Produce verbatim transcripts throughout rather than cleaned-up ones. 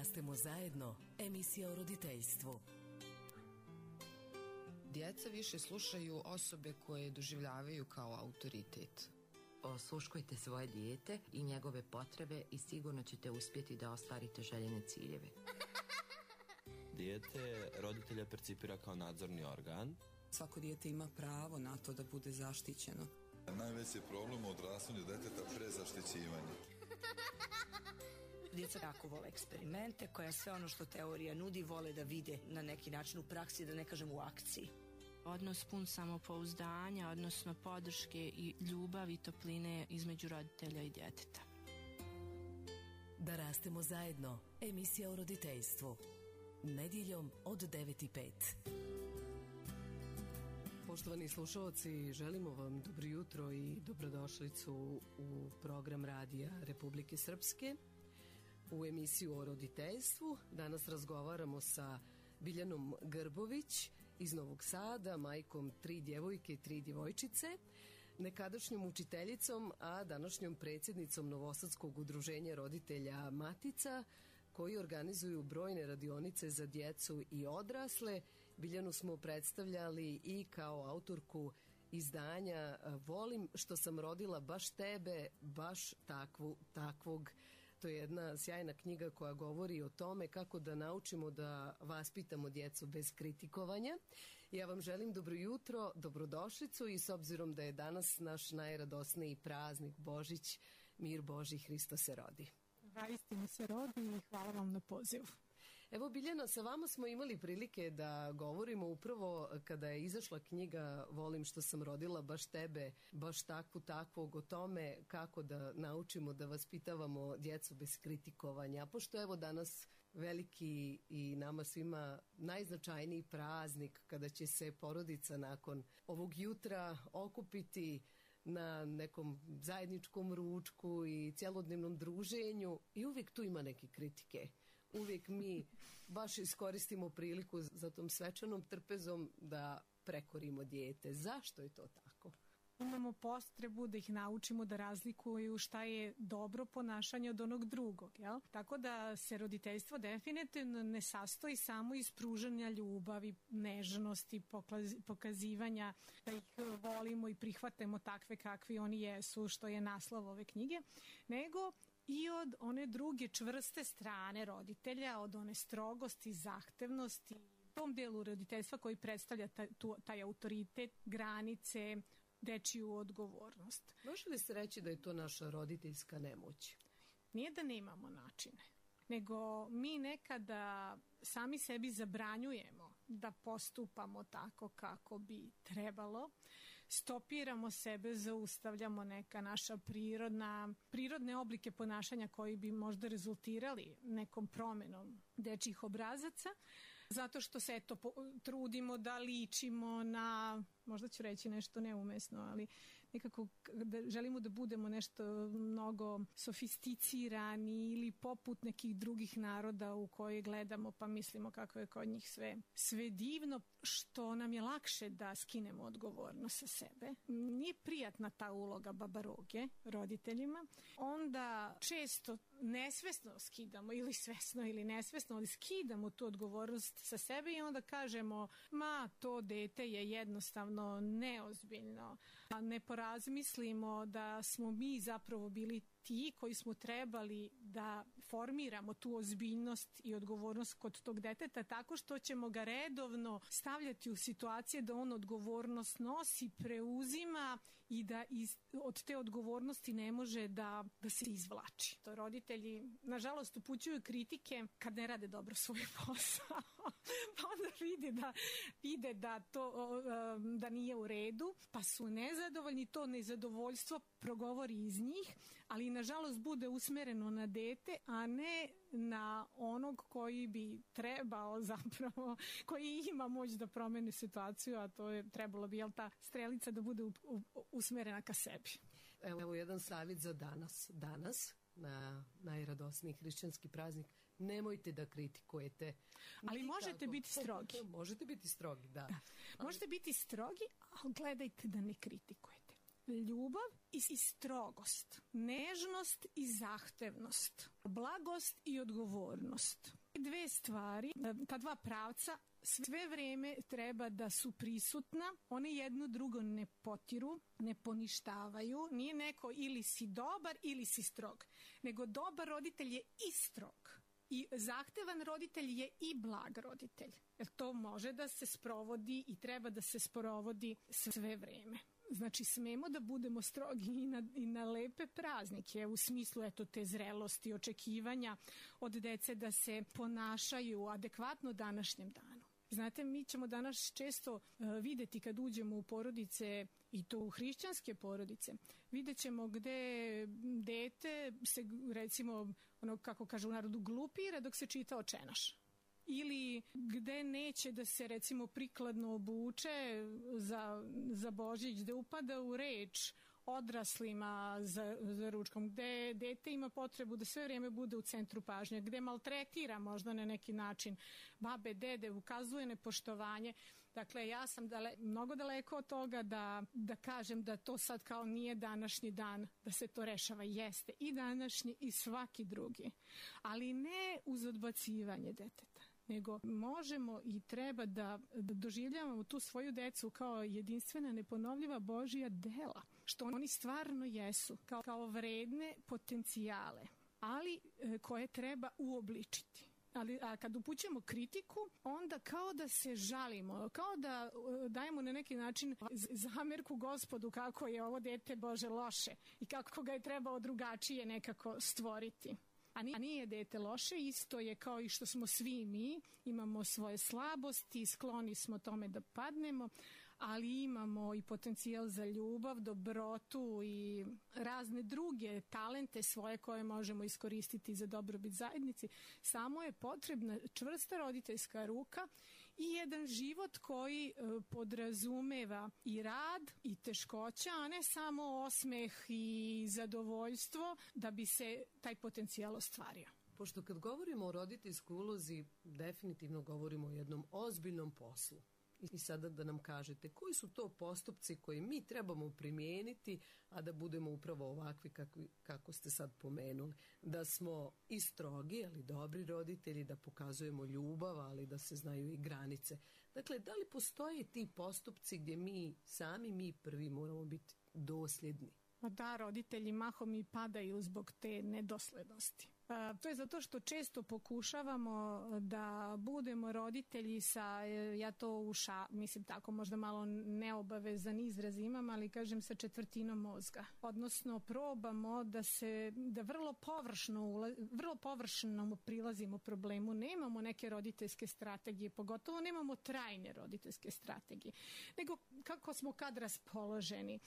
rastemo zajedno. Emisija o roditeljstvu. Djeca više slušaju osobe koje doživljavaju kao autoritet. Osluškujte svoje dijete i njegove potrebe i sigurno ćete uspjeti da ostvarite željene ciljeve. Dijete roditelja percipira kao nadzorni organ. Svako dijete ima pravo na to da bude zaštićeno. Najveći problem u odrastanju deteta prezaštićivanje. Djeca jako vole eksperimente, koja sve ono što teorija nudi vole da vide na neki način u praksi, da ne kažem u akciji. Odnos pun samopouzdanja, odnosno podrške i ljubavi i topline između roditelja i djeteta. Da rastemo zajedno. Emisija o roditeljstvu. Nedjeljom od devet i pet. Poštovani slušalci, želimo vam dobro jutro i dobrodošlicu u program Radija Republike Srpske, u emisiju o roditeljstvu. Danas razgovaramo sa Biljanom Grbović iz Novog Sada, majkom tri djevojke i tri djevojčice, nekadašnjom učiteljicom, a današnjom predsjednicom Novosadskog udruženja roditelja Matica, koji organizuju brojne radionice za djecu i odrasle. Biljanu smo predstavljali i kao autorku izdanja Volim što sam rodila baš tebe, baš takvu, takvog. To je jedna sjajna knjiga koja govori o tome kako da naučimo da vaspitamo djecu bez kritikovanja. Ja vam želim dobro jutro, dobrodošlicu i s obzirom da je danas naš najradosniji praznik Božić, mir Božji, Hristo se rodi. Vaistinu se rodi i hvala vam na pozivu. Evo Biljana, sa vama smo imali prilike da govorimo upravo kada je izašla knjiga Volim što sam rodila baš tebe, baš takvu takvog, o tome kako da naučimo da vaspitavamo djecu bez kritikovanja. A pošto evo danas veliki i nama svima najznačajniji praznik kada će se porodica nakon ovog jutra okupiti na nekom zajedničkom ručku i cjelodnevnom druženju i uvijek tu ima neke kritike. Uvijek mi baš iskoristimo priliku za tom svečanom trpezom da prekorimo dijete. Zašto je to tako? Imamo potrebu da ih naučimo da razlikuju šta je dobro ponašanje od onog drugog, jel? Tako da se roditeljstvo definitivno ne sastoji samo iz pružanja ljubavi, nežnosti, pokazivanja da ih volimo i prihvatemo takve kakvi oni jesu, što je naslov ove knjige, nego i od one druge čvrste strane roditelja, od one strogosti, zahtevnosti, tom delu roditeljstva koji predstavlja taj, tu, taj autoritet, granice, dečiju odgovornost. Može li se reći da je to naša roditeljska nemoć? Nije da nemamo načine, nego mi nekada sami sebi zabranjujemo da postupamo tako kako bi trebalo, stopiramo sebe, zaustavljamo neka naša prirodna, prirodne oblike ponašanja koji bi možda rezultirali nekom promenom dečjih obrazaca, zato što se eto trudimo da ličimo na, možda ću reći nešto neumesno, ali nekako da želimo da budemo nešto mnogo sofisticirani ili poput nekih drugih naroda u koje gledamo pa mislimo kako je kod njih sve, sve divno, što nam je lakše da skinemo odgovornost sa sebe. Nije prijatna ta uloga babaroge roditeljima. Onda često nesvesno skidamo ili svesno ili nesvesno, ali skidamo tu odgovornost sa sebe i onda kažemo, ma to dete je jednostavno neozbiljno. A ne porazmislimo da smo mi zapravo bili ti koji smo trebali da formiramo tu ozbiljnost i odgovornost kod tog deteta tako što ćemo ga redovno stavljati u situacije da on odgovornost nosi, preuzima i da iz, od te odgovornosti ne može da, da se izvlači. To roditelji, nažalost, upućuju kritike kad ne rade dobro svoj posao. Pa onda vide da, vide da to da nije u redu, pa su nezadovoljni, to nezadovoljstvo progovori iz njih, ali nažalost bude usmereno na dete, a ne na onog koji bi trebao zapravo, koji ima moć da promeni situaciju, a to je trebalo bi, jel, ta strelica da bude u, u, usmerena ka sebi. Evo, evo jedan savjet za danas. Danas, na najradosniji hrišćanski praznik, nemojte da kritikujete. Ali nikako. Možete biti strogi. Možete biti strogi, da. da. Možete biti strogi, ali gledajte da ne kritikujete. ljubav i, i strogost, nežnost i zahtevnost, blagost i odgovornost. Dve stvari, ta dva pravca sve vreme treba da su prisutna, one jedno drugo ne potiru, ne poništavaju, nije neko ili si dobar ili si strog, nego dobar roditelj je i strog. I zahtevan roditelj je i blag roditelj. Jer to može da se sprovodi i treba da se sprovodi sve vreme. Znači, smemo da budemo strogi i na, i na lepe praznike, u smislu eto, te zrelosti, očekivanja od dece da se ponašaju adekvatno današnjem danu. Znate, mi ćemo danas često uh, videti kad uđemo u porodice, i to u hrišćanske porodice, vidjet ćemo gde dete se, recimo, ono kako kaže u narodu, glupira dok se čita očenaš. Ili gde neće da se, recimo, prikladno obuče za, za Božić, da upada u reč odraslima za, za ručkom, gde dete ima potrebu da sve vrijeme bude u centru pažnje, gde maltretira možda na neki način babe, dede, ukazuje nepoštovanje. Dakle, ja sam dale, mnogo daleko od toga da, da kažem da to sad kao nije današnji dan, da se to rešava. Jeste i današnji i svaki drugi, ali ne uz odbacivanje deteta, nego možemo i treba da, da doživljavamo tu svoju decu kao jedinstvena, neponovljiva Božja dela, što oni stvarno jesu, kao, kao vredne potencijale, ali e, koje treba uobličiti. Ali a kad upućujemo kritiku, onda kao da se žalimo, kao da uh, dajemo na neki način zamerku Gospodu kako je ovo dete Bože loše i kako ga je trebao drugačije nekako stvoriti. A nije, a nije dete loše, isto je kao i što smo svi mi, imamo svoje slabosti, skloni smo tome da padnemo, ali imamo i potencijal za ljubav, dobrotu i razne druge talente svoje koje možemo iskoristiti za dobrobit zajednici. Samo je potrebna čvrsta roditeljska ruka i jedan život koji e, podrazumeva i rad i teškoća, a ne samo osmeh i zadovoljstvo da bi se taj potencijal ostvario. Pošto kad govorimo o roditeljskoj ulozi, definitivno govorimo o jednom ozbiljnom poslu. I sada da nam kažete koji su to postupci koje mi trebamo primijeniti, a da budemo upravo ovakvi kako, kako ste sad pomenuli. Da smo i strogi, ali dobri roditelji, da pokazujemo ljubav, ali da se znaju i granice. Dakle, da li postoje ti postupci gdje mi sami, mi prvi moramo biti dosljedni? Da, roditelji mahom i padaju zbog te nedoslednosti. A, to je zato što često pokušavamo da budemo roditelji sa, ja to uša, mislim tako možda malo neobavezan izraz imam, ali kažem sa četvrtinom mozga. Odnosno probamo da se, da vrlo površno, vrlo površno prilazimo problemu, nemamo neke roditeljske strategije, pogotovo nemamo trajne roditeljske strategije, nego kako smo kad raspoloženi.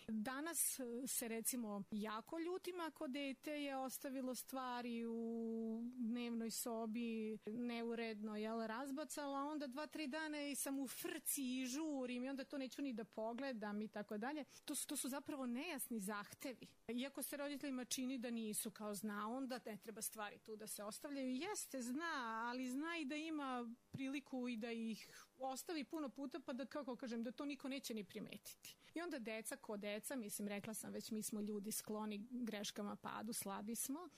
Danas se recimo jako ljutim ako dete je ostavilo stvari u dnevnoj sobi neuredno, jel, razbacala, onda dva, tri dana i sam u frci i žurim i onda to neću ni da pogledam i tako dalje. To su, to su zapravo nejasni zahtevi. Iako se roditeljima čini da nisu kao zna, onda ne treba stvari tu da se ostavljaju. Jeste, zna, ali zna i da ima priliku i da ih ostavi puno puta pa da, kako kažem, da to niko neće ni primetiti. I onda deca ko deca, mislim, rekla sam već, mi smo ljudi skloni greškama, padu, slabi smo.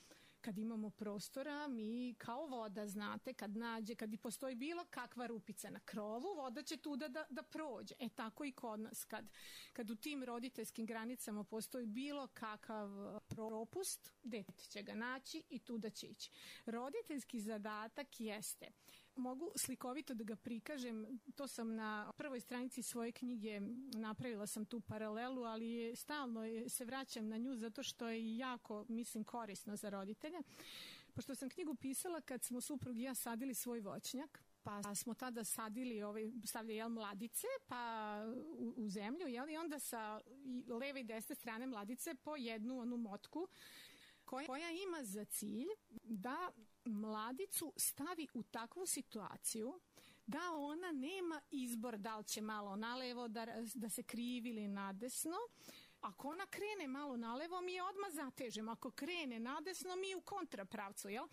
Kad imamo prostora, mi kao voda, znate, kad nađe, kad i postoji bilo kakva rupica na krovu, voda će tuda da, da prođe. E tako i kod nas. Kad, kad u tim roditeljskim granicama postoji bilo kakav propust, dete će ga naći i tuda će ići. Roditeljski zadatak jeste, mogu slikovito da ga prikažem, to sam na prvoj stranici svoje knjige, napravila sam tu paralelu, ali je, stalno se vraćam na nju zato što je jako, mislim, korisno za roditelje. Pošto sam knjigu pisala kad smo suprug i ja sadili svoj voćnjak, pa smo tada sadili, ovaj, stavljali jel, mladice pa u, u zemlju, jel, i onda sa leve i desne strane mladice po jednu onu motku koja, koja ima za cilj da mladicu stavi u takvu situaciju da ona nema izbor da li će malo nalevo da, da se krivi ili nadesno. Ako ona krene malo nalevo, mi je odmah zatežemo. Ako krene nadesno, mi u kontrapravcu, jel?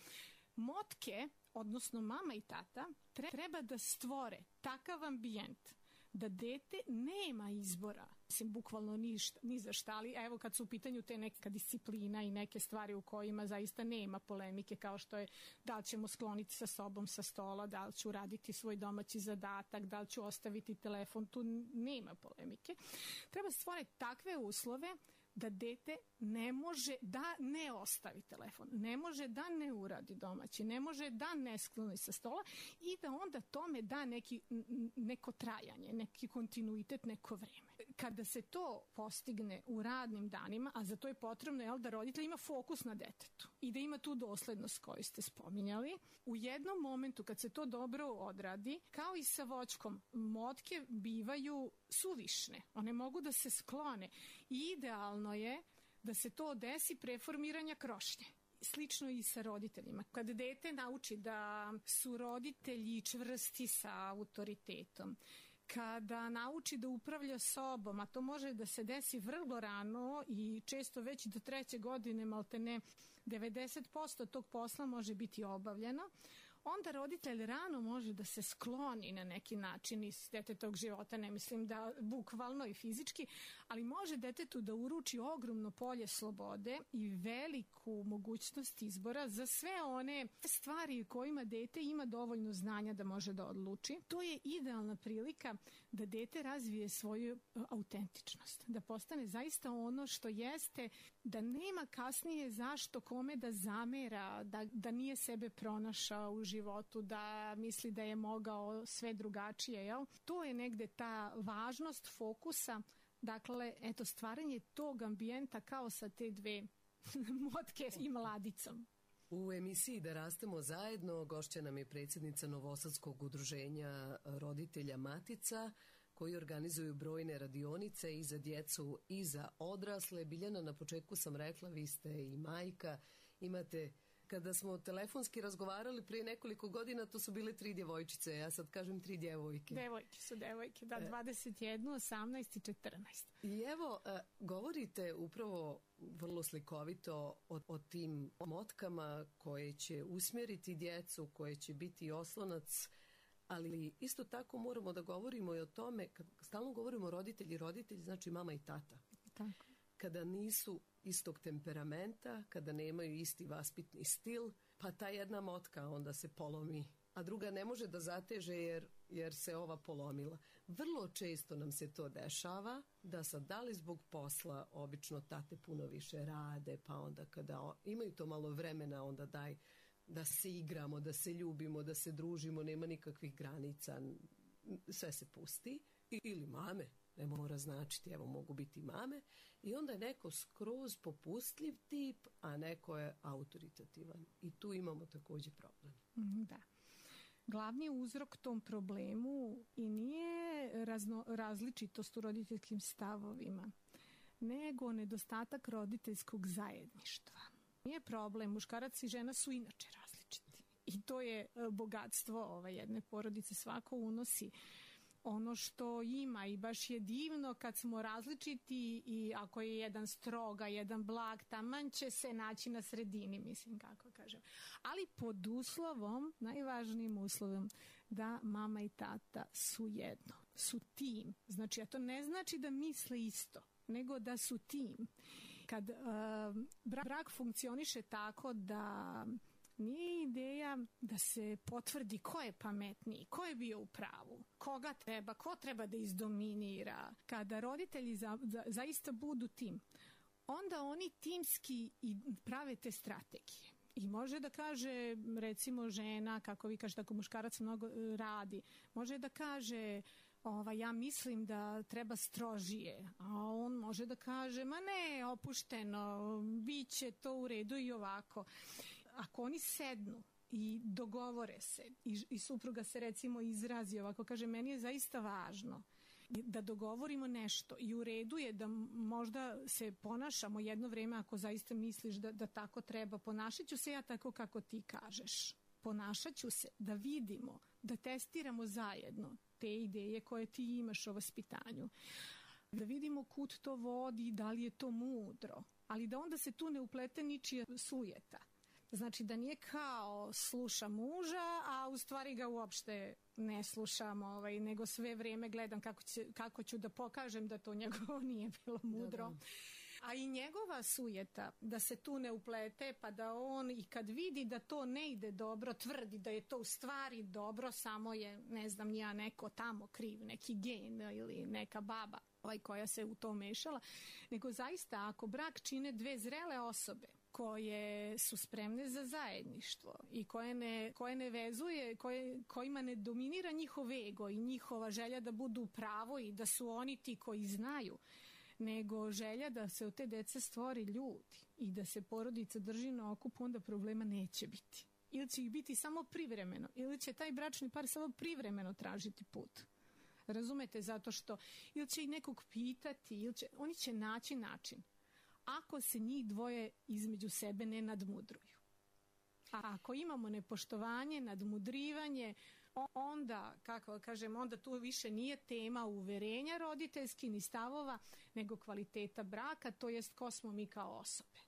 Motke, odnosno mama i tata, treba da stvore takav ambijent da dete nema izbora. mislim, bukvalno ništa, ni za šta, ali evo kad su u pitanju te neka disciplina i neke stvari u kojima zaista nema polemike, kao što je da li ćemo skloniti sa sobom sa stola, da li ću raditi svoj domaći zadatak, da li ću ostaviti telefon, tu nema polemike. Treba stvoriti takve uslove da dete ne može da ne ostavi telefon, ne može da ne uradi domaći, ne može da ne skloni sa stola i da onda tome da neki, neko trajanje, neki kontinuitet, neko vreme. Kada se to postigne u radnim danima, a za to je potrebno jel, da roditelj ima fokus na detetu i da ima tu doslednost koju ste spominjali, u jednom momentu kad se to dobro odradi, kao i sa voćkom, motke bivaju suvišne, one mogu da se sklone i idealno je da se to desi pre formiranja krošnje. Slično i sa roditeljima. Kad dete nauči da su roditelji čvrsti sa autoritetom, kada nauči da upravlja sobom, a to može da se desi vrlo rano i često već do treće godine, maltene devedeset posto tog posla može biti obavljeno, onda roditelj rano može da se skloni na neki način iz detetovog života, ne mislim da bukvalno i fizički, ali može detetu da uruči ogromno polje slobode i veliku mogućnost izbora za sve one stvari kojima dete ima dovoljno znanja da može da odluči. To je idealna prilika da dete razvije svoju autentičnost, da postane zaista ono što jeste, da nema kasnije zašto kome da zamera, da, da nije sebe pronašao u životu, da misli da je mogao sve drugačije, jel? To je negde ta važnost fokusa, dakle, eto, stvaranje tog ambijenta kao sa te dve motke i mladicom. U emisiji Da rastemo zajedno gošća nam je predsjednica Novosadskog udruženja roditelja Matica, koji organizuju brojne radionice i za djecu i za odrasle. Biljana, na početku sam rekla, vi ste i majka, imate... Kada smo telefonski razgovarali prije nekoliko godina, to su bile tri djevojčice, ja sad kažem tri djevojke. Devojke su devojke, da, dvadeset jedna, osamnaest i četrnaest. I evo, govorite upravo vrlo slikovito o, o tim motkama koje će usmjeriti djecu, koje će biti oslonac, ali isto tako moramo da govorimo i o tome, kad stalno govorimo roditelji, roditelji znači mama i tata. Tako. Kada nisu istog temperamenta, kada nemaju isti vaspitni stil, pa ta jedna motka onda se polomi, a druga ne može da zateže jer, jer se ova polomila. Vrlo često nam se to dešava, da sad da li zbog posla obično tate puno više rade, pa onda kada imaju to malo vremena, onda daj da se igramo, da se ljubimo, da se družimo, nema nikakvih granica, sve se pusti. Ili mame, ne mora značiti, evo mogu biti mame, i onda je neko skroz popustljiv tip, a neko je autoritativan. I tu imamo također problem. Da. Glavni uzrok tom problemu i nije razno, različitost u roditeljskim stavovima, nego nedostatak roditeljskog zajedništva. Nije problem, muškarac i žena su inače različiti. I to je bogatstvo ove jedne porodice, svako unosi ono što ima i baš je divno kad smo različiti i ako je jedan stroga, jedan blag, taman će se naći na sredini, mislim kako kažem. Ali pod uslovom, najvažnijim uslovom, da mama i tata su jedno, su tim. Znači, a to ne znači da misle isto, nego da su tim. Kad uh, brak funkcioniše tako da nije ideja da se potvrdi ko je pametniji, ko je bio u pravu, koga treba, ko treba da izdominira. Kada roditelji za, za, zaista budu tim, onda oni timski i prave te strategije. I može da kaže, recimo žena, kako vi kažete, ako muškarac mnogo radi, može da kaže... Ova, ja mislim da treba strožije, a on može da kaže, ma ne, opušteno, bit će to u redu i ovako. Ako oni sednu i dogovore se i, i supruga se recimo izrazi ovako, kaže, meni je zaista važno da dogovorimo nešto i u redu je da možda se ponašamo jedno vreme ako zaista misliš da, da tako treba, ponašat ću se ja tako kako ti kažeš. Ponašat ću se da vidimo, da testiramo zajedno te ideje koje ti imaš o vaspitanju. Da vidimo kud to vodi, da li je to mudro, ali da onda se tu ne uplete ničija sujeta. Znači da nije kao sluša muža, a u stvari ga uopšte ne slušam, ovaj, nego sve vrijeme gledam kako, će, kako ću da pokažem da to njegovo nije bilo mudro. Da, da. A i njegova sujeta, da se tu ne uplete, pa da on i kad vidi da to ne ide dobro, tvrdi da je to u stvari dobro, samo je, ne znam, nija neko tamo kriv, neki gen ili neka baba ovaj, koja se u to mešala. Nego zaista, ako brak čine dve zrele osobe, koje su spremne za zajedništvo i koje ne, koje ne vezuje, koje, kojima ne dominira njihov ego i njihova želja da budu u pravu i da su oni ti koji znaju, nego želja da se od te dece stvori ljudi i da se porodica drži na okupu, onda problema neće biti. Ili će ih biti samo privremeno, ili će taj bračni par samo privremeno tražiti put. Razumete? Zato što ili će ih nekog pitati, ili će, oni će naći način. Ako se njih dvoje između sebe ne nadmudruju. A ako imamo nepoštovanje, nadmudrivanje, onda, kako kažem, onda tu više nije tema uverenja roditeljski ni stavova, nego kvaliteta braka, to jest ko smo mi kao osobe.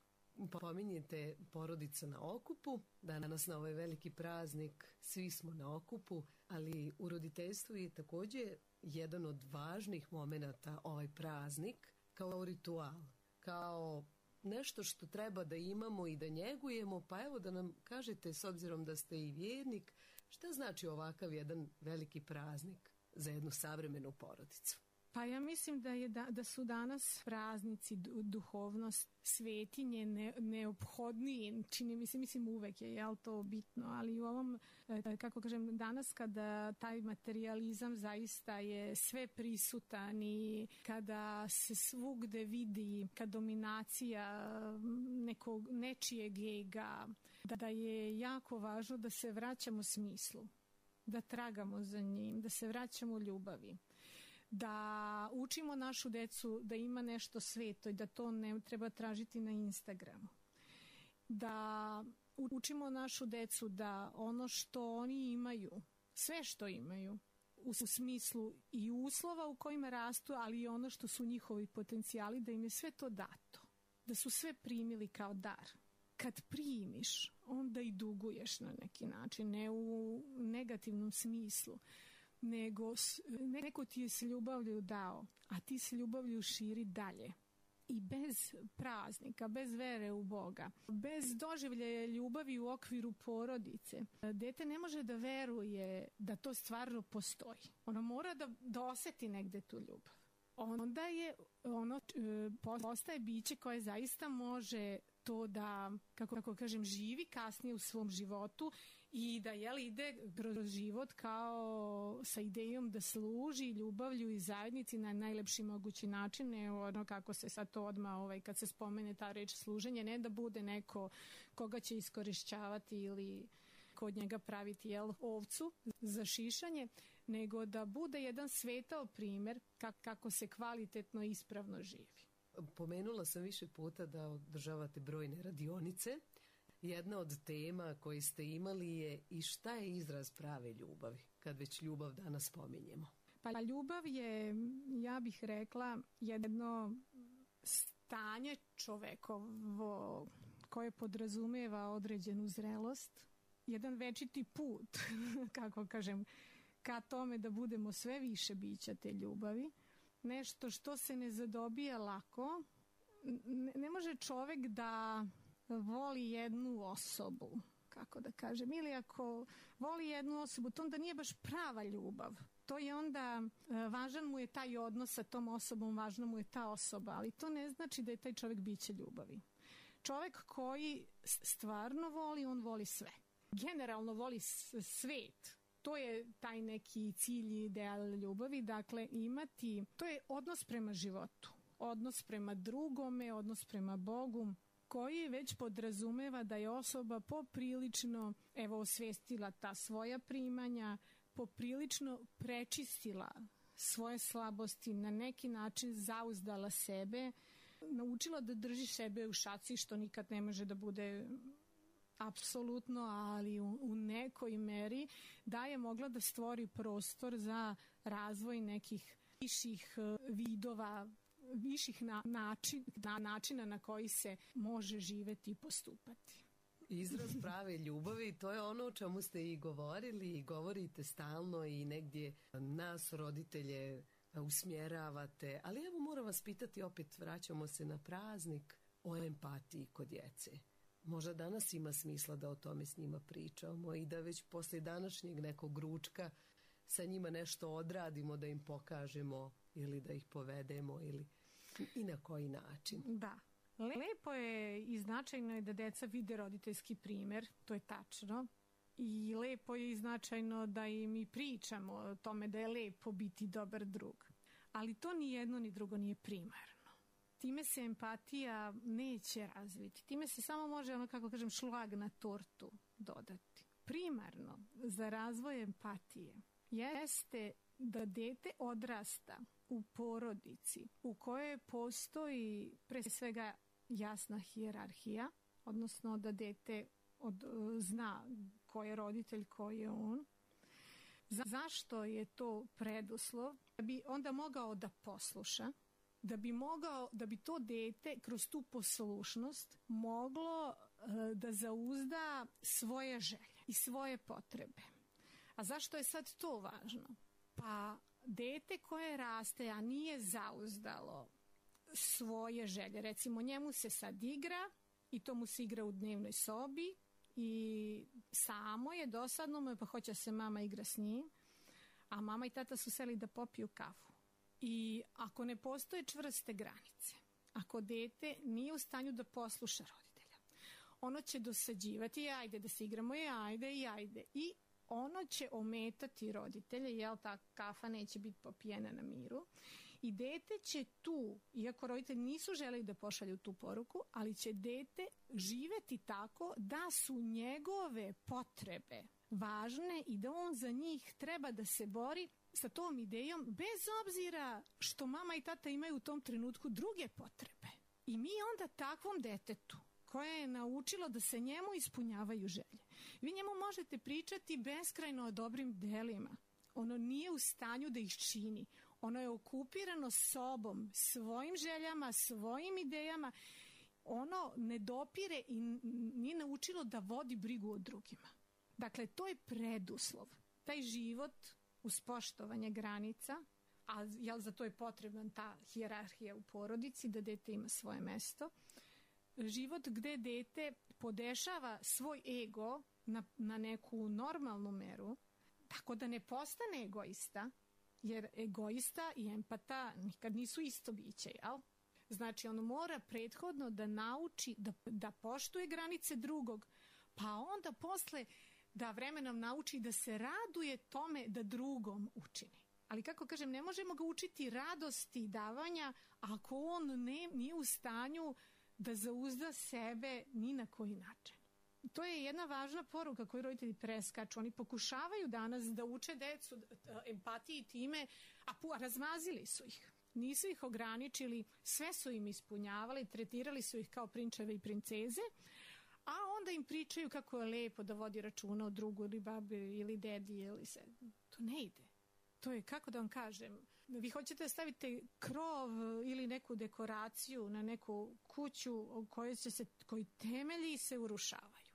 Pominjete porodica na okupu, danas na ovaj veliki praznik svi smo na okupu, ali u roditeljstvu je također jedan od važnih momenata ovaj praznik kao ritual, kao nešto što treba da imamo i da njegujemo, pa evo da nam kažete, s obzirom da ste i vjernik, šta znači ovakav jedan veliki praznik za jednu savremenu porodicu? Pa ja mislim da, je da, da su danas praznici, duhovnost, svetinje ne, neophodniji, čini mi se, mislim uvek je, jel to bitno, ali u ovom, kako kažem, danas kada taj materijalizam zaista je sve prisutan i kada se svugde vidi kad dominacija nekog, nečijeg ega, da je jako važno da se vraćamo smislu, da tragamo za njim, da se vraćamo ljubavi, da učimo našu decu da ima nešto sveto i da to ne treba tražiti na Instagramu. Da učimo našu decu da ono što oni imaju, sve što imaju, u smislu i uslova u kojima rastu, ali i ono što su njihovi potencijali, da im je sve to dato. Da su sve primili kao dar. Kad primiš, onda i duguješ na neki način, ne u negativnom smislu, nego neko ti je s ljubavlju dao, a ti s ljubavlju širi dalje. I bez praznika, bez vere u Boga, bez doživljaja ljubavi u okviru porodice, dete ne može da veruje da to stvarno postoji. Ono mora da, da oseti negde tu ljubav. Onda je ono postaje biće koje zaista može to da, kako, kako kažem, živi kasnije u svom životu i da jel, ide kroz život kao sa idejom da služi ljubavlju i zajednici na najlepši mogući način, ne ono kako se sad to odmah, ovaj, kad se spomene ta reč služenje, ne da bude neko koga će iskorišćavati ili kod njega praviti jel, ovcu za šišanje, nego da bude jedan svetao primjer kako se kvalitetno i ispravno živi. Pomenula sam više puta da održavate brojne radionice. Jedna od tema koje ste imali je i šta je izraz prave ljubavi, kad već ljubav danas spominjemo. Pa ljubav je, ja bih rekla, jedno stanje čovekovo koje podrazumeva određenu zrelost, jedan večiti put, kako kažem, ka tome da budemo sve više bića te ljubavi. Nešto što se ne zadobija lako. Ne, ne može čovek da voli jednu osobu, kako da kažem, ili ako voli jednu osobu, to onda nije baš prava ljubav. To je onda, važan mu je taj odnos sa tom osobom, važna mu je ta osoba, ali to ne znači da je taj čovek biće ljubavi. Čovek koji stvarno voli, on voli sve. Generalno voli svet. To je taj neki cilj i ideal ljubavi, dakle imati, to je odnos prema životu, odnos prema drugome, odnos prema Bogu, koji već podrazumeva da je osoba poprilično, evo, osvestila ta svoja primanja, poprilično prečistila svoje slabosti, na neki način zauzdala sebe, naučila da drži sebe u šaci, što nikad ne može da bude apsolutno, ali u, u nekoj meri da je mogla da stvori prostor za razvoj nekih viših vidova, viših na, način, na načina na koji se može živeti i postupati. izraz prave ljubavi i to je ono o čemu ste i govorili i govorite stalno i negdje nas roditelje usmjeravate, ali evo moram vas pitati, opet vraćamo se na praznik, o empatiji kod djece. Možda danas ima smisla da o tome s njima pričamo i da već poslije današnjeg nekog ručka sa njima nešto odradimo, da im pokažemo ili da ih povedemo ili i na koji način. Da. Lepo je i značajno je da deca vide roditeljski primjer, to je tačno. I lepo je i značajno da im i pričamo o tome da je lepo biti dobar drug. Ali to ni jedno ni drugo nije primarno. Time se empatija neće razviti. Time se samo može, ono kako kažem, šlag na tortu dodati. Primarno za razvoj empatije jeste da dete odrasta u porodici u kojoj postoji pre svega jasna hijerarhija, odnosno da dete od, zna ko je roditelj, ko je on. Za, zašto je to preduslov? Da bi onda mogao da posluša, da bi mogao, da bi to dete kroz tu poslušnost moglo e, da zauzda svoje želje i svoje potrebe. A zašto je sad to važno? Pa dete koje raste, a nije zauzdalo svoje želje, recimo njemu se sad igra i to mu se igra u dnevnoj sobi i samo je dosadno mu, pa hoće se mama igra s njim, a mama i tata su seli da popiju kafu. I ako ne postoje čvrste granice, ako dete nije u stanju da posluša roditelja, ono će dosađivati, ajde da se igramo, i ajde, i ajde. I ono će ometati roditelje, jel ta kafa neće biti popijena na miru. I dete će tu, iako roditelji nisu želeli da pošalju tu poruku, ali će dete živeti tako da su njegove potrebe važne i da on za njih treba da se bori sa tom idejom, bez obzira što mama i tata imaju u tom trenutku druge potrebe. I mi onda takvom detetu koje je naučilo da se njemu ispunjavaju želje, vi njemu možete pričati beskrajno o dobrim delima. Ono nije u stanju da ih čini. Ono je okupirano sobom, svojim željama, svojim idejama. Ono ne dopire i nije naučilo da vodi brigu o drugima. Dakle, to je preduslov. Taj život uz poštovanje granica, a jel za to je potrebna ta hijerarhija u porodici, da dete ima svoje mesto. Život gde dete podešava svoj ego na, na neku normalnu meru, tako da ne postane egoista, jer egoista i empata nikad nisu isto biće, jel? Znači, on mora prethodno da nauči da, da poštuje granice drugog, pa onda posle da vremenom nauči da se raduje tome da drugom učini. Ali kako kažem, ne možemo ga učiti radosti davanja ako on ne, nije u stanju da zauzda sebe ni na koji način. To je jedna važna poruka koju roditelji preskaču. Oni pokušavaju danas da uče decu empatiji time, a pu, razmazili su ih. Nisu ih ograničili, sve su im ispunjavali, tretirali su ih kao prinčeve i princeze, a onda im pričaju kako je lepo da vodi računa o drugu ili babi ili dedi ili se. To ne ide. To je, kako da vam kažem, vi hoćete da stavite krov ili neku dekoraciju na neku kuću u kojoj će se, koji temelji se urušavaju.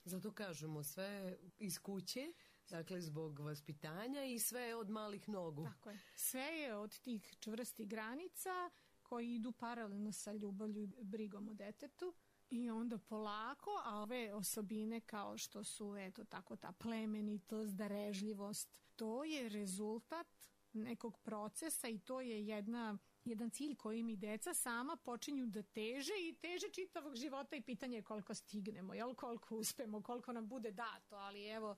Zato kažemo sve iz kuće, dakle zbog vaspitanja i sve od malih nogu. Tako je. Sve je od tih čvrstih granica koji idu paralelno sa ljubavlju i brigom o detetu. I onda polako, a ove osobine kao što su, eto tako, ta plemenitost, darežljivost, to je rezultat nekog procesa i to je jedna, jedan cilj koji mi deca sama počinju da teže i teže čitavog života i pitanje je koliko stignemo, jel, koliko uspemo, koliko nam bude dato, ali evo,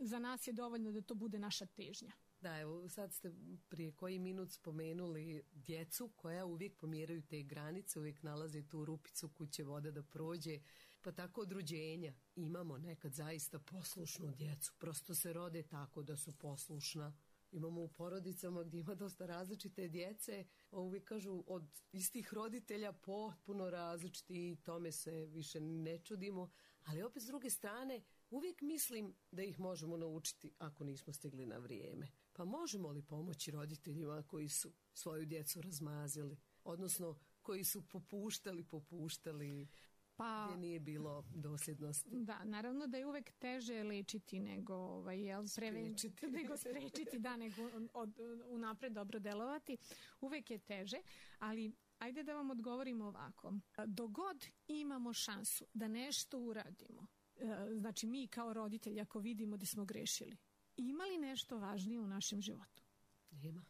za nas je dovoljno da to bude naša težnja. Da, evo sad ste prije koji minut spomenuli djecu koja uvijek pomjeraju te granice, uvijek nalaze tu rupicu kuće vode da prođe, pa tako od rođenja imamo nekad zaista poslušnu djecu, prosto se rode tako da su poslušna. Imamo u porodicama gdje ima dosta različite djece, uvijek kažu od istih roditelja potpuno različiti i tome se više ne čudimo, ali opet s druge strane uvijek mislim da ih možemo naučiti ako nismo stigli na vrijeme. Pa možemo li pomoći roditeljima koji su svoju djecu razmazili, odnosno koji su popuštali, popuštali? Pa, gdje nije bilo dosljednosti. Da, naravno da je uvek teže lečiti nego, ovaj, jel, sprečiti, nego sprečiti, da, nego od, unapred dobro delovati. Uvek je teže, ali ajde da vam odgovorimo ovako. Dogod imamo šansu da nešto uradimo, znači mi kao roditelji ako vidimo da smo grešili, ima li nešto važnije u našem životu? Nema.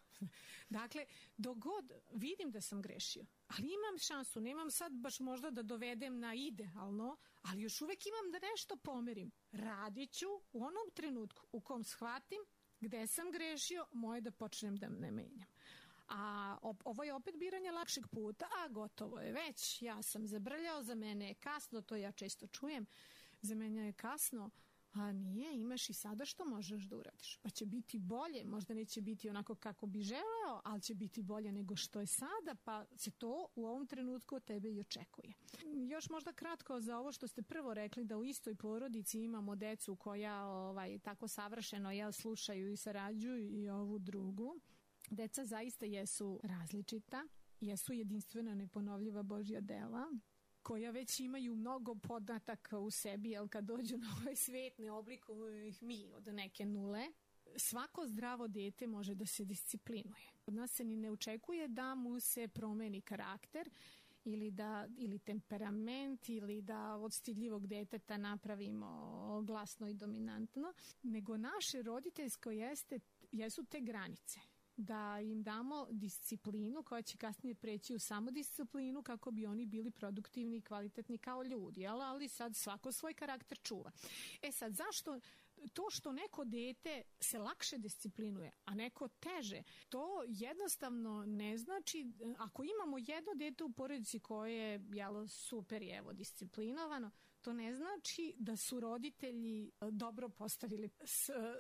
Dakle, dogod vidim da sam grešio, ali imam šansu, nemam sad baš možda da dovedem na idealno, ali još uvek imam da nešto pomerim. Radit ću u onom trenutku u kom shvatim gde sam grešio, moje da počnem da ne menjam. A ovo je opet biranje lakšeg puta, a gotovo je već, ja sam zabrljao, za mene je kasno, to ja često čujem, za mene je kasno. A nije, imaš i sada što možeš da uradiš. Pa će biti bolje, možda neće biti onako kako bi želeo, ali će biti bolje nego što je sada, pa se to u ovom trenutku od tebe i očekuje. Još možda kratko za ovo što ste prvo rekli, da u istoj porodici imamo decu koja ovaj, tako savršeno jel, slušaju i sarađuju i ovu drugu. Deca zaista jesu različita, jesu jedinstvena, neponovljiva Božja dela, koja već imaju mnogo podataka u sebi, jer kad dođu na ovaj svet ne oblikuju ih mi od neke nule. Svako zdravo dete može da se disciplinuje. Od nas se ni ne očekuje da mu se promeni karakter ili, da, ili temperament ili da od stidljivog deteta napravimo glasno i dominantno, nego naše roditeljsko jeste, jesu te granice. Da im damo disciplinu koja će kasnije preći u samodisciplinu kako bi oni bili produktivni i kvalitetni kao ljudi, jel? Ali sad svako svoj karakter čuva. E sad, zašto to što neko dete se lakše disciplinuje, a neko teže, to jednostavno ne znači, ako imamo jedno dete u porodici koje je jel, super je evo disciplinovano, to ne znači da su roditelji dobro postavili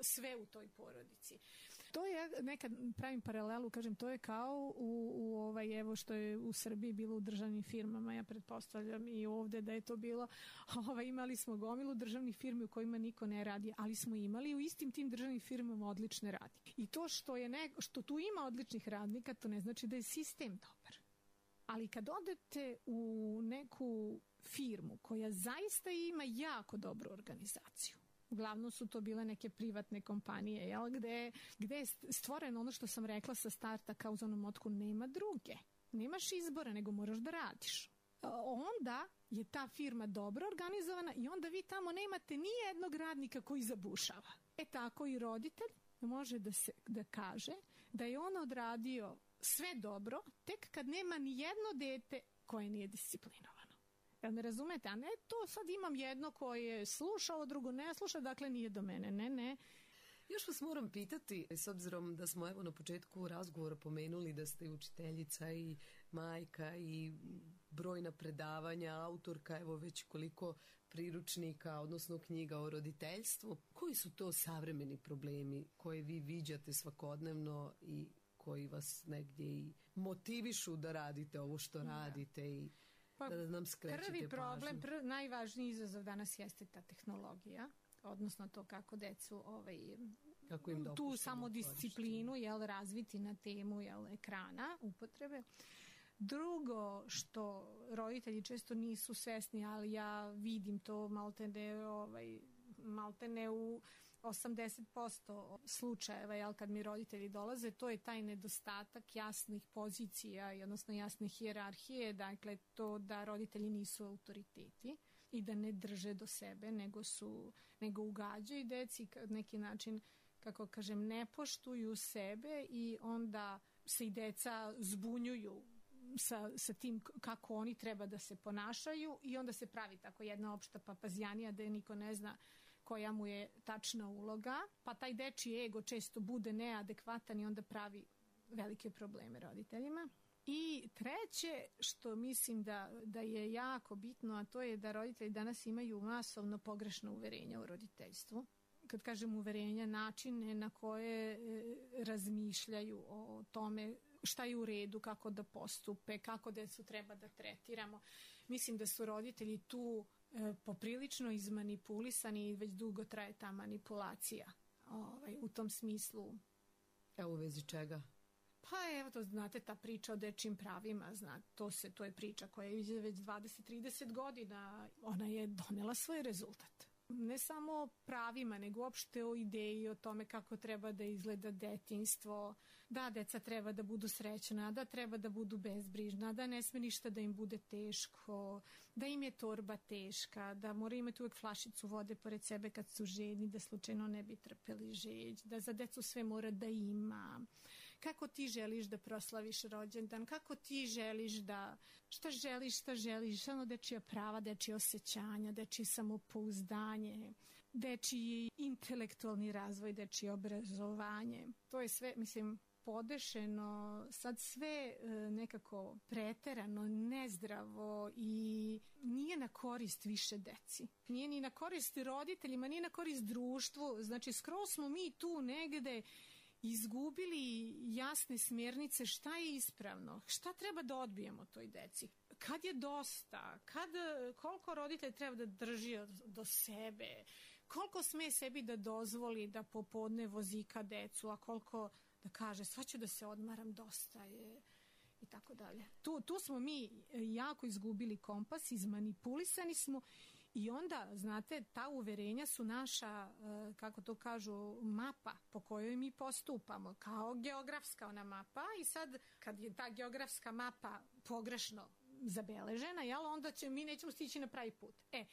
sve u toj porodici. To je, nekad pravim paralelu, kažem, to je kao u, u ovaj, evo što je u Srbiji bilo u državnim firmama, ja pretpostavljam i ovde da je to bilo, ovaj, imali smo gomilu državnih firmi u kojima niko ne radi, ali smo imali u istim tim državnim firmama odlične radnike. I to što, je ne, što tu ima odličnih radnika, to ne znači da je sistem dobar. Ali kad odete u neku firmu koja zaista ima jako dobru organizaciju, uglavnom su to bile neke privatne kompanije, jel, gde, gde je stvoreno ono što sam rekla sa starta kao u onom motku, nema druge. Nemaš izbora, nego moraš da radiš. Onda je ta firma dobro organizovana i onda vi tamo nemate ni jednog radnika koji zabušava. E tako i roditelj može da, se, da kaže da je on odradio sve dobro tek kad nema ni jedno dete koje nije disciplinovano. Jel me razumete? A ne to sad imam jedno koje sluša, ovo drugo ne sluša, dakle nije do mene. Ne, ne. Još vas moram pitati, s obzirom da smo evo na početku razgovora pomenuli da ste učiteljica i majka i brojna predavanja, autorka, evo već koliko priručnika, odnosno knjiga o roditeljstvu. Koji su to savremeni problemi koje vi viđate svakodnevno i koji vas negdje i motivišu da radite ovo što radite i pa, da nam skrećete prvi problem, pažnju? Prvi, najvažniji izazov danas jeste ta tehnologija, odnosno to kako decu ovaj, kako im tu samodisciplinu jel, razviti na temu jel, ekrana, upotrebe. Drugo što roditelji često nisu svesni, ali ja vidim to maltene, ovaj, maltene u osamdeset posto slučajeva, jel, kad mi roditelji dolaze, to je taj nedostatak jasnih pozicija i odnosno jasne hijerarhije, dakle to da roditelji nisu autoriteti i da ne drže do sebe, nego su, nego ugađaju deci na neki način, kako kažem, ne poštuju sebe i onda se i deca zbunjuju sa, sa tim kako oni treba da se ponašaju i onda se pravi tako jedna opšta papazjanija da je niko ne zna koja mu je tačna uloga, pa taj dečiji ego često bude neadekvatan i onda pravi velike probleme roditeljima. I treće, što mislim da, da je jako bitno, a to je da roditelji danas imaju masovno pogrešno uverenje o roditeljstvu. Kad kažem uverenja, načine na koje e, razmišljaju o tome šta je u redu, kako da postupe, kako decu treba da tretiramo. Mislim da su roditelji tu e, poprilično izmanipulisani i već dugo traje ta manipulacija ovaj, u tom smislu. Evo u vezi čega? Pa evo, to znate, ta priča o dečjim pravima, zna, to, se, to je priča koja je već dvadeset trideset godina, ona je donela svoj rezultat. Ne samo o pravima, nego uopšte o ideji, o tome kako treba da izgleda detinjstvo, da deca treba da budu srećna, da treba da budu bezbrižna, da ne sme ništa da im bude teško, da im je torba teška, da moraju imati uvek flašicu vode pored sebe kad su žedni, da slučajno ne bi trpeli žeđ, da za decu sve mora da ima. Kako ti želiš da proslaviš rođendan, kako ti želiš da, šta želiš, šta želiš, ono dečija prava, dečije osjećanja, dečije samopouzdanje, dečiji intelektualni razvoj, dečije obrazovanje. To je sve, mislim, podešeno, sad sve nekako preterano, nezdravo i nije na korist više deci. Nije ni na korist roditeljima, nije na korist društvu. Znači, skroz smo mi tu negde izgubili jasne smjernice šta je ispravno, šta treba da odbijemo toj deci, kad je dosta, kad, koliko roditelj treba da drži do sebe, koliko sme sebi da dozvoli da popodne vozika decu, a koliko da kaže sad ću da se odmaram, dosta je i tako dalje. Tu, tu smo mi jako izgubili kompas, izmanipulisani smo. I onda, znate, ta uverenja su naša, kako to kažu, mapa po kojoj mi postupamo, kao geografska ona mapa. I sad, kad je ta geografska mapa pogrešno zabeležena, jel, onda će, mi nećemo stići na pravi put. E,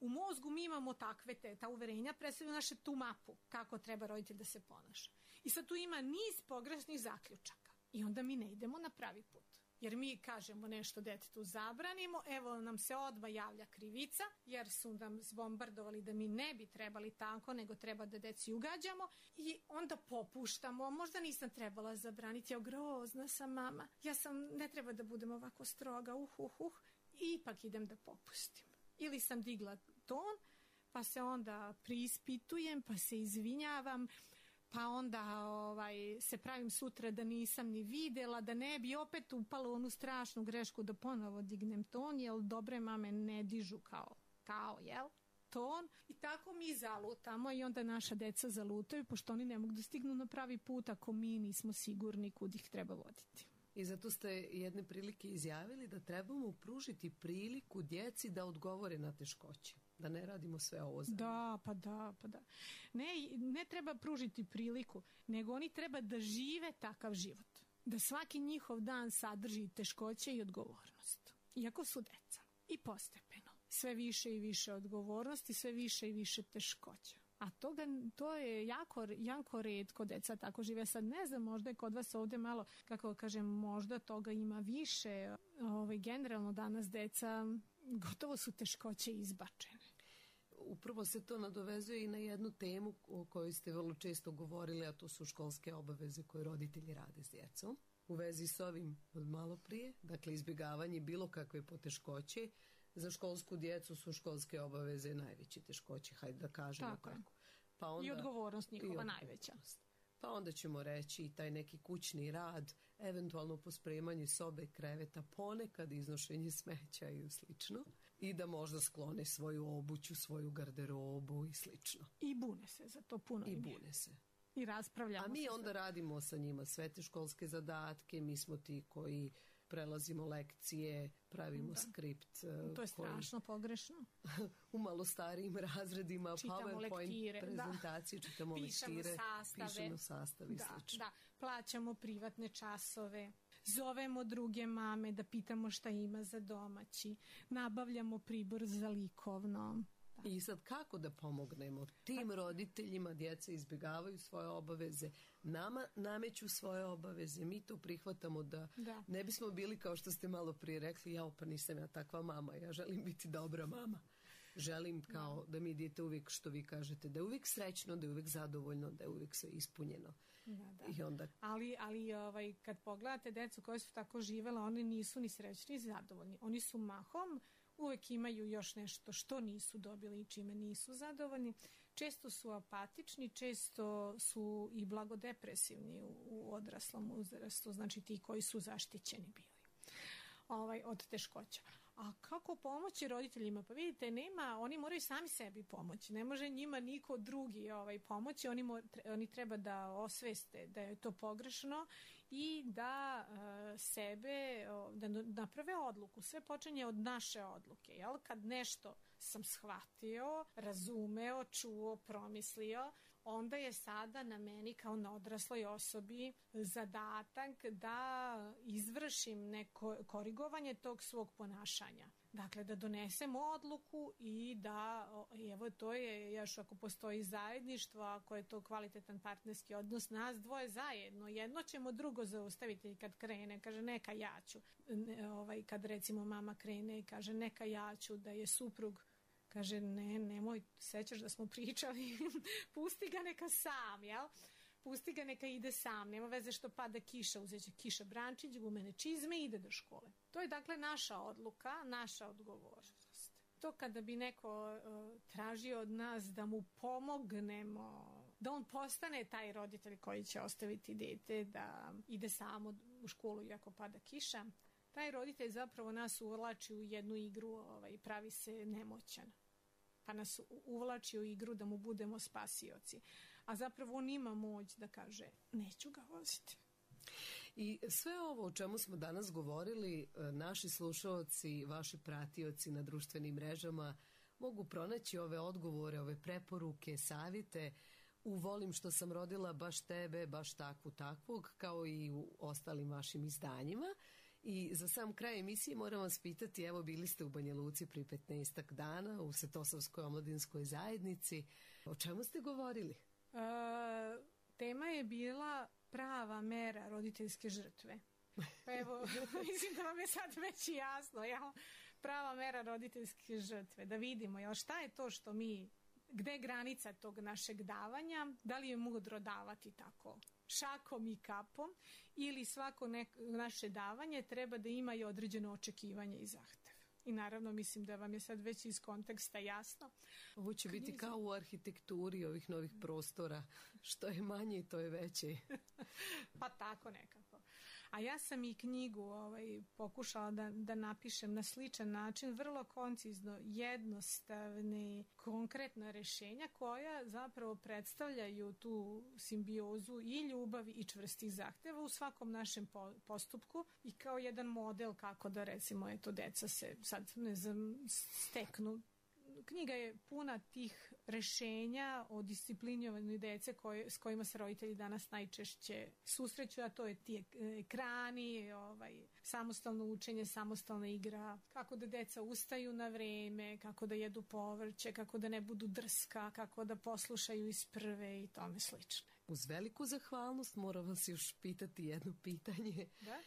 u mozgu mi imamo takve te, ta uverenja predstavljaju naše tu mapu, kako treba roditelj da se ponaša. I sad tu ima niz pogrešnih zaključaka. I onda mi ne idemo na pravi put. Jer mi kažemo nešto detetu zabranimo, evo nam se odmah javlja krivica, jer su nam zbombardovali da mi ne bi trebali tako, nego treba da deci ugađamo i onda popuštamo, možda nisam trebala zabraniti, ja grozna sam mama, ja sam, ne treba da budem ovako stroga, uh, uh, uh, i ipak idem da popustim. Ili sam digla ton, pa se onda priispitujem, pa se izvinjavam, pa onda ovaj, se pravim sutra da nisam ni videla, da ne bi opet upala u onu strašnu grešku da ponovo dignem ton, jer dobre mame ne dižu kao, kao, jel? Ton. I tako mi zalutamo i onda naša deca zalutaju, pošto oni ne mogu da stignu na pravi put ako mi nismo sigurni kud ih treba voditi. I zato ste jedne prilike izjavili da trebamo pružiti priliku djeci da odgovore na teškoće. Da ne radimo sve ovo zajedno. Da, pa da, pa da. Ne, ne treba pružiti priliku, nego oni treba da žive takav život. Da svaki njihov dan sadrži teškoće i odgovornost. Iako su deca. I postepeno. Sve više i više odgovornosti, sve više i više teškoća. A toga, to je jako, jako retko deca tako žive. Sad ne znam, možda je kod vas ovde malo, kako kažem, možda toga ima više. Ovaj, generalno danas deca gotovo su teškoće izbačene. Upravo se to nadovezuje i na jednu temu o kojoj ste vrlo često govorili, a to su školske obaveze koje roditelji rade s djecom. U vezi s ovim od malo prije, dakle izbjegavanje bilo kakve poteškoće, za školsku djecu su školske obaveze najveće teškoće, hajde da kažemo tako. tako. Pa onda, I odgovornost njihova i odgovornost. najveća. Pa onda ćemo reći i taj neki kućni rad, eventualno pospremanje sobe, kreveta, ponekad iznošenje smeća i slično. I da možda sklone svoju obuću, svoju garderobu i slično. I bune se za to puno. I bune se. I raspravljamo. A mi se onda sve. radimo sa njima sve te školske zadatke, mi smo ti koji prelazimo lekcije, pravimo da. skript. To je strašno koji... pogrešno. U malo starijim razredima, čitamo PowerPoint lektire, prezentacije, da. čitamo pišemo lektire, sastave. pišemo sastave i da, slično. Da, plaćamo privatne časove, zovemo druge mame da pitamo šta ima za domaći, nabavljamo pribor za likovno. Da. I sad kako da pomognemo tim roditeljima, djeca izbjegavaju svoje obaveze, nama nameću svoje obaveze, mi to prihvatamo da, da. ne bismo bili kao što ste malo prije rekli, ja pa nisam ja takva mama, ja želim biti dobra mama. Želim kao da, da mi dijete uvijek, što vi kažete, da je uvijek srećno, da je uvijek zadovoljno, da je uvijek sve ispunjeno. Da, da. I onda... Ali, ali ovaj, kad pogledate decu koje su tako živela, oni nisu ni srećni ni zadovoljni. Oni su mahom, uvijek imaju još nešto što nisu dobili i čime nisu zadovoljni. Često su apatični, često su i blagodepresivni u, u odraslom uzrastu, znači ti koji su zaštićeni bili ovaj, od teškoća. A kako pomoći roditeljima? Pa vidite, nema, oni moraju sami sebi pomoći. Ne može njima niko drugi ovaj, pomoći. Oni, mor, oni treba da osveste da je to pogrešno i da uh, sebe, uh, da naprave odluku. Sve počinje od naše odluke, jel? Kad nešto sam shvatio, razumeo, čuo, promislio, onda je sada na meni kao na odrasloj osobi zadatak da izvršim neko korigovanje tog svog ponašanja. Dakle, da donesem odluku i da, evo to je još ako postoji zajedništvo, ako je to kvalitetan partnerski odnos, nas dvoje zajedno, jedno ćemo drugo zaustaviti kad krene, kaže neka ja ću, ne, ovaj, kad recimo mama krene i kaže neka ja ću, da je suprug kaže, ne, nemoj, sećaš da smo pričali, pusti ga neka sam, jel? Pusti ga neka ide sam, nema veze što pada kiša, uzet će kiša brančić, gumene čizme i ide do škole. To je dakle naša odluka, naša odgovornost. To kada bi neko uh, tražio od nas da mu pomognemo, da on postane taj roditelj koji će ostaviti dete, da ide samo u školu iako pada kiša, taj roditelj zapravo nas uvlači u jednu igru, ovaj, pravi se nemoćan. Pa nas uvlači u igru da mu budemo spasioci. A zapravo on ima moć da kaže, neću ga voziti. I sve ovo o čemu smo danas govorili, naši slušaoci, vaši pratioci na društvenim mrežama mogu pronaći ove odgovore, ove preporuke, savjete u Volim što sam rodila baš tebe, baš takvu takvog, kao i u ostalim vašim izdanjima. I za sam kraj emisije moram vas pitati, evo bili ste u Banja Luci pri petnaestak dana u Svetosavskoj omladinskoj zajednici. O čemu ste govorili? E, tema je bila prava mera roditeljske žrtve. Pa evo, mislim da vam je sad već jasno, jel? Prava mera roditeljske žrtve. Da vidimo, jel, šta je to što mi, gde je granica tog našeg davanja, da li je mudro davati tako šakom i kapom, ili svako neko, naše davanje treba da ima i određeno očekivanje i zahtev. I naravno mislim da vam je sad već iz konteksta jasno. Ovo će biti Knjizi... kao u arhitekturi ovih novih prostora. Što je manje, to je veće. Pa tako nekako. A ja sam i knjigu ovaj, pokušala da, da napišem na sličan način, vrlo koncizno, jednostavne, konkretna rešenja koja zapravo predstavljaju tu simbiozu i ljubavi i čvrstih zahteva u svakom našem po, postupku i kao jedan model kako da recimo eto deca se sad ne znam steknu. Knjiga je puna tih rešenja o disciplinovanju dece koje, s kojima se roditelji danas najčešće susreću, a to je ti ekrani, ovaj, samostalno učenje, samostalna igra, kako da deca ustaju na vreme, kako da jedu povrće, kako da ne budu drska, kako da poslušaju iz prve i tome slične. Uz veliku zahvalnost moram vas još pitati jedno pitanje. Da?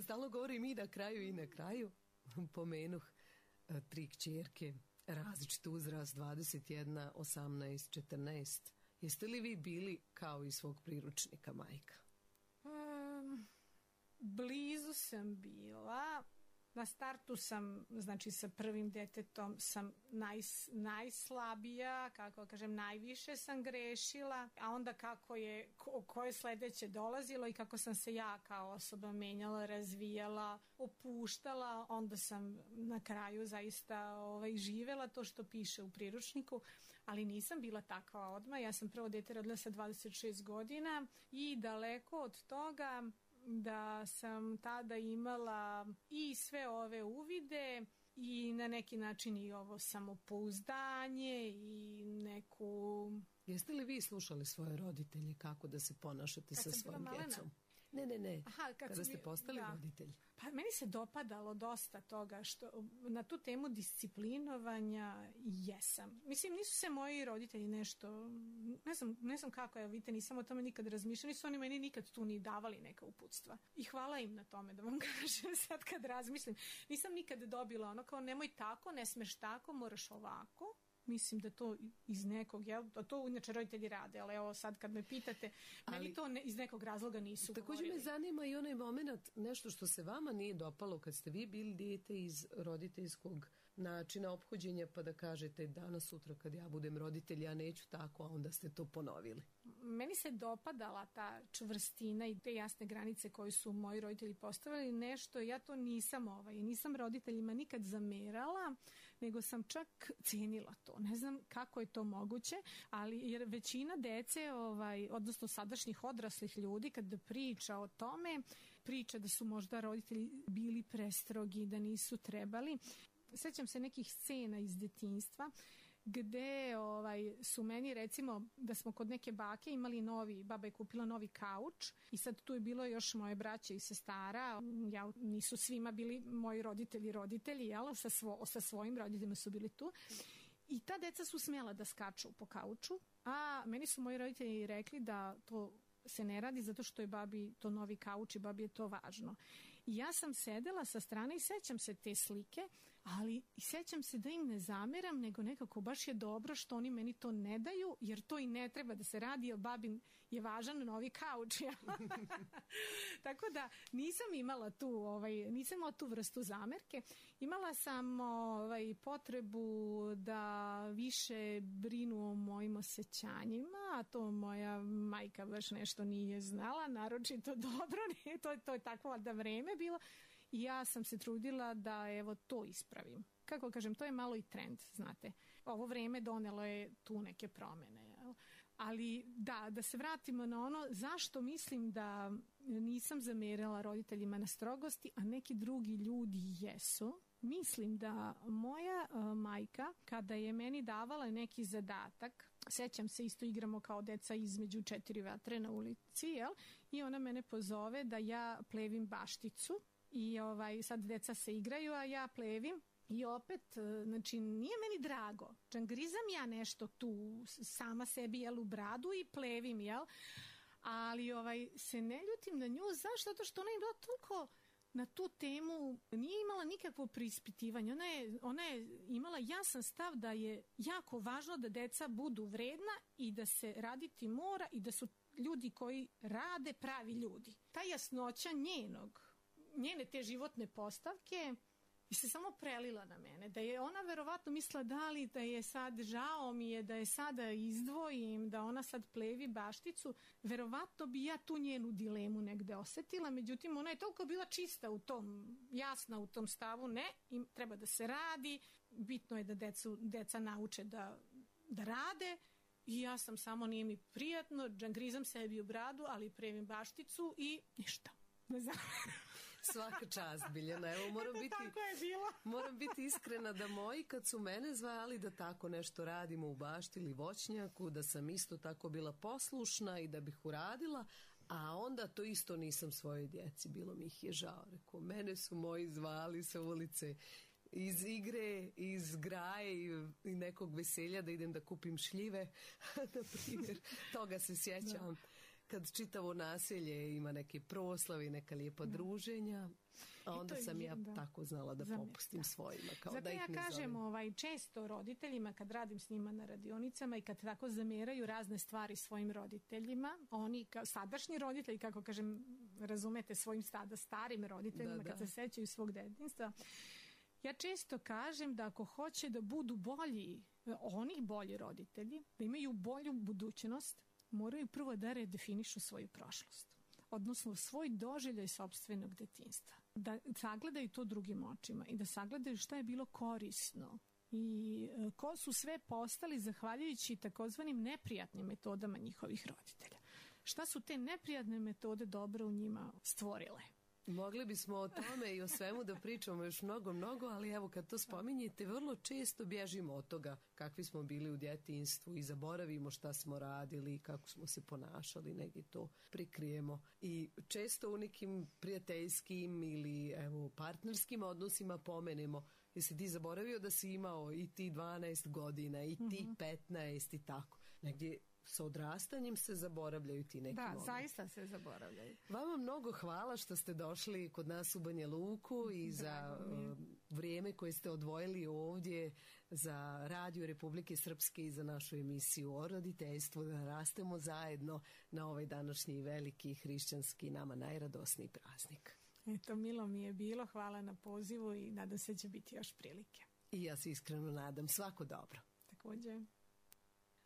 Stalno govorim i na kraju i na kraju. Pomenuh tri kćerke. Različit uzrast, dvadeset jedna, osamnaest, četrnaest. Jeste li vi bili kao iz svog priručnika majka? Um, blizu sam bila. Na startu sam, znači sa prvim detetom sam naj, najslabija, kako kažem, najviše sam grešila, a onda kako je, ko, koje sledeće dolazilo i kako sam se ja kao osoba menjala, razvijala, opuštala, onda sam na kraju zaista ovaj, živela to što piše u priručniku, ali nisam bila takva odmah. Ja sam prvo dete rodila sa dvadeset šest godina i daleko od toga da sam tada imala i sve ove uvide i na neki način i ovo samopouzdanje i neku... Jeste li vi slušali svoje roditelje kako da se ponašate kad sa svojim djecom? Ne, ne, ne. Aha, kad Kada ste mi, postali da. roditelj. Pa meni se dopadalo dosta toga što na tu temu disciplinovanja jesam. Mislim, nisu se moji roditelji nešto, ne znam, ne znam kako je, vidite, nisam o tome nikad razmišljala, nisu oni meni nikad tu ni davali neka uputstva. I hvala im na tome, da vam kažem sad kad razmislim. Nisam nikad dobila ono kao nemoj tako, ne smeš tako, moraš ovako. Mislim da to iz nekog, jel, to inače roditelji rade, ali evo sad kad me pitate, ali, meni to ne, iz nekog razloga nisu također govorili. Me zanima i onaj moment, nešto što se vama nije dopalo kad ste vi bili dijete iz roditeljskog načina ophođenja pa da kažete danas, sutra kad ja budem roditelj, ja neću tako, a onda ste to ponovili? Meni se dopadala ta čvrstina i te jasne granice koje su moji roditelji postavili. Nešto, ja to nisam ovaj, nisam roditeljima nikad zamerala, nego sam čak cijenila to. Ne znam kako je to moguće, ali jer većina dece, ovaj, odnosno sadašnjih odraslih ljudi, kada priča o tome, priča da su možda roditelji bili prestrogi, da nisu trebali. Sećam se nekih scena iz detinjstva gde ovaj, su meni recimo da smo kod neke bake imali novi, baba je kupila novi kauč i sad tu je bilo još moje braće i sestara, ja, nisu svima bili moji roditelji roditelji, jel? Sa, svo, sa svojim roditeljima su bili tu i ta deca su smjela da skaču po kauču, a meni su moji roditelji rekli da to se ne radi zato što je babi to novi kauč i babi je to važno. I ja sam sedela sa strane i sećam se te slike, ali i sećam se da im ne zameram, nego nekako baš je dobro što oni meni to ne daju, jer to i ne treba da se radi, jer babin je važan novi kauč. Ja? Tako da nisam imala tu, ovaj, nisam imala tu vrstu zamerke. Imala sam ovaj, potrebu da više brinu o mojim osjećanjima, a to moja majka baš nešto nije znala, naročito dobro, nije, to, to je takvo da vreme bilo. I ja sam se trudila da evo to ispravim. Kako kažem, to je malo i trend, znate. Ovo vreme donelo je tu neke promene. Jel? Ali da, da se vratimo na ono zašto mislim da nisam zamerila roditeljima na strogosti, a neki drugi ljudi jesu. Mislim da moja uh, majka, kada je meni davala neki zadatak, sećam se, isto igramo kao deca između četiri vatre na ulici, jel? I ona mene pozove da ja plevim bašticu. I ovaj, sad deca se igraju, a ja plevim. I opet, znači, nije meni drago. Džangrizam ja nešto tu sama sebi, jel, u bradu i plevim, jel? Ali ovaj, se ne ljutim na nju. Zašto? Zato što ona je bila toliko na tu temu, nije imala nikakvo preispitivanje. Ona je, ona je imala jasan stav da je jako važno da deca budu vredna i da se raditi mora i da su ljudi koji rade pravi ljudi. Ta jasnoća njenog, njene te životne postavke i se samo prelila na mene, da je ona verovatno mislila da li da je sad žao mi je da je sada izdvojim, da ona sad plevi bašticu, verovatno bi ja tu njenu dilemu negde osetila, međutim ona je toliko bila čista u tom, jasna u tom stavu, ne, im treba da se radi, bitno je da decu, deca nauče da, da rade i ja sam samo, nije mi prijatno, džangrizam sebi u bradu, ali previm bašticu i ništa, ne znam. Svaka čast, Biljana. Evo, moram biti, moram biti iskrena da moji kad su mene zvali da tako nešto radimo u bašti ili voćnjaku, da sam isto tako bila poslušna i da bih uradila, a onda to isto nisam svojoj djeci. Bilo mi ih je žao. Rekao, mene su moji zvali sa ulice iz igre, iz graje i, i nekog veselja da idem da kupim šljive. Na primjer, toga se sjećam. Kad čitavo naselje ima neke proslave i neka lijepa da. druženja, a onda je, sam ja da. tako znala da Zamir, popustim da. svojima. Kao Zato da ih ja ne kažem ovaj, često roditeljima kad radim s njima na radionicama i kad tako zameraju razne stvari svojim roditeljima, oni kao sadašnji roditelji, kako kažem, razumete, svojim stada starim roditeljima da, da. kad se sećaju svog detinjstva, ja često kažem da ako hoće da budu bolji, oni bolji roditelji, da imaju bolju budućnost, moraju prvo da redefinišu svoju prošlost, odnosno svoj doživljaj sopstvenog detinjstva. Da sagledaju to drugim očima i da sagledaju šta je bilo korisno i ko su sve postali zahvaljujući takozvanim neprijatnim metodama njihovih roditelja. Šta su te neprijatne metode dobro u njima stvorile? Mogli bismo o tome i o svemu da pričamo još mnogo, mnogo, ali evo kad to spominjete, vrlo često bježimo od toga kakvi smo bili u djetinjstvu i zaboravimo šta smo radili, kako smo se ponašali, negdje to prikrijemo. I često u nekim prijateljskim ili evo partnerskim odnosima pomenemo, jesi ti zaboravio da si imao i ti dvanaest godina i ti mm-hmm. petnaest i tako. Negdje sa odrastanjem se zaboravljaju ti neki Da, momenti. zaista se zaboravljaju. Vama mnogo hvala što ste došli kod nas u Banja Luku i za uh, vrijeme koje ste odvojili ovdje za Radio Republike Srpske i za našu emisiju o roditeljstvu, da rastemo zajedno na ovaj današnji veliki hrišćanski, nama najradosniji praznik. Eto, milo mi je bilo, hvala na pozivu i nadam se će biti još prilike. I ja se iskreno nadam. Svako dobro. Također.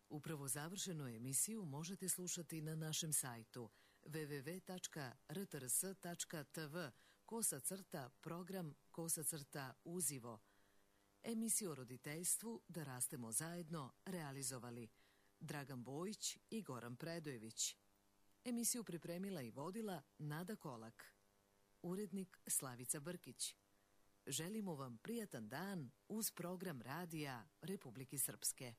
Upravo završenu emisiju možete slušati na našem sajtu w w w tačka r t r s tačka t v kosa crta program kosa crta uzivo. Emisiju o roditeljstvu Da rastemo zajedno realizovali Dragan Bojić i Goran Predojević. Emisiju pripremila i vodila Nada Kolak. Urednik Slavica Brkić. Želimo vam prijatan dan uz program Radija Republike Srpske.